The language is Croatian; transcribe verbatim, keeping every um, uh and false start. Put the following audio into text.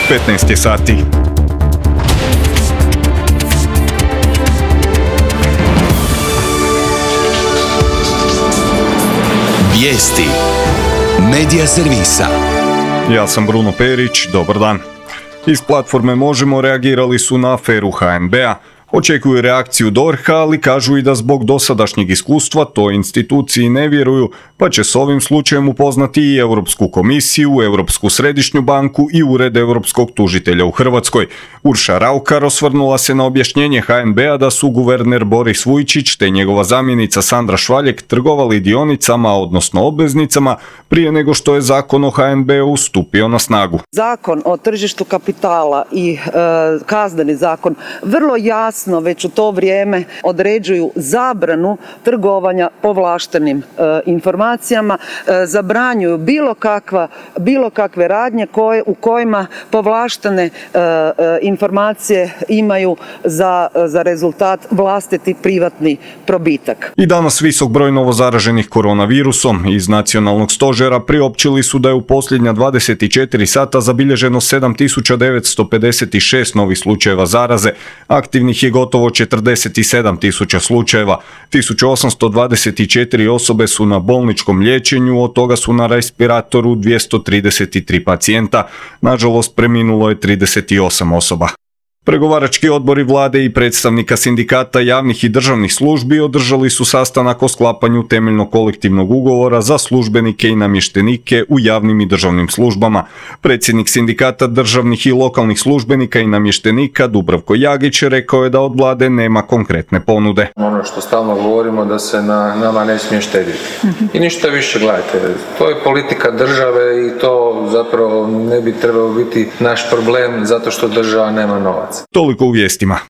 petnaest je sati. Vijesti Medija servisa. Ja sam Bruno Perić, dobar dan. Iz platforme Možemo reagirali su na aferu ha en be a. Očekuju reakciju D O R H-a, ali kažu i da zbog dosadašnjeg iskustva toj instituciji ne vjeruju, pa će s ovim slučajem upoznati i Europsku komisiju, Europsku središnju banku i Ured Europskog tužitelja u Hrvatskoj. Urša Raukar osvrnula se na objašnjenje ha en be a da su guverner Boris Vujčić te njegova zamjenica Sandra Švaljek trgovali dionicama, odnosno obveznicama, prije nego što je zakon o ha en be u stupio na snagu. Zakon o tržištu kapitala i e, kazneni zakon vrlo jasno već u to vrijeme određuju zabranu trgovanja povlaštenim e, informacijama, e, zabranjuju bilo kakva, bilo kakve radnje koje, u kojima povlaštene e, e, informacije imaju za, za rezultat vlastiti privatni probitak. I danas visok broj novozaraženih koronavirusom. Iz nacionalnog stožera priopćili su da je u posljednja dvadeset četiri sata zabilježeno sedam tisuća devetsto pedeset šest novih slučajeva zaraze, aktivnih je gotovo četrdeset sedam tisuća slučajeva, tisuću osamsto dvadeset četiri osobe su na bolničkom liječenju, od toga su na respiratoru dvjesto trideset tri pacijenta, nažalost preminulo je trideset osam osoba. Pregovarački odbori vlade i predstavnika sindikata javnih i državnih službi održali su sastanak o sklapanju temeljnog kolektivnog ugovora za službenike i namještenike u javnim i državnim službama. Predsjednik sindikata državnih i lokalnih službenika i namještenika Dubravko Jagić rekao je da od vlade nema konkretne ponude. Ono što stalno govorimo da se na nama ne smije štediti. I ništa više, gledajte, to je politika države i to zapravo ne bi trebalo biti naš problem zato što država nema novac. Toliko u vijestima.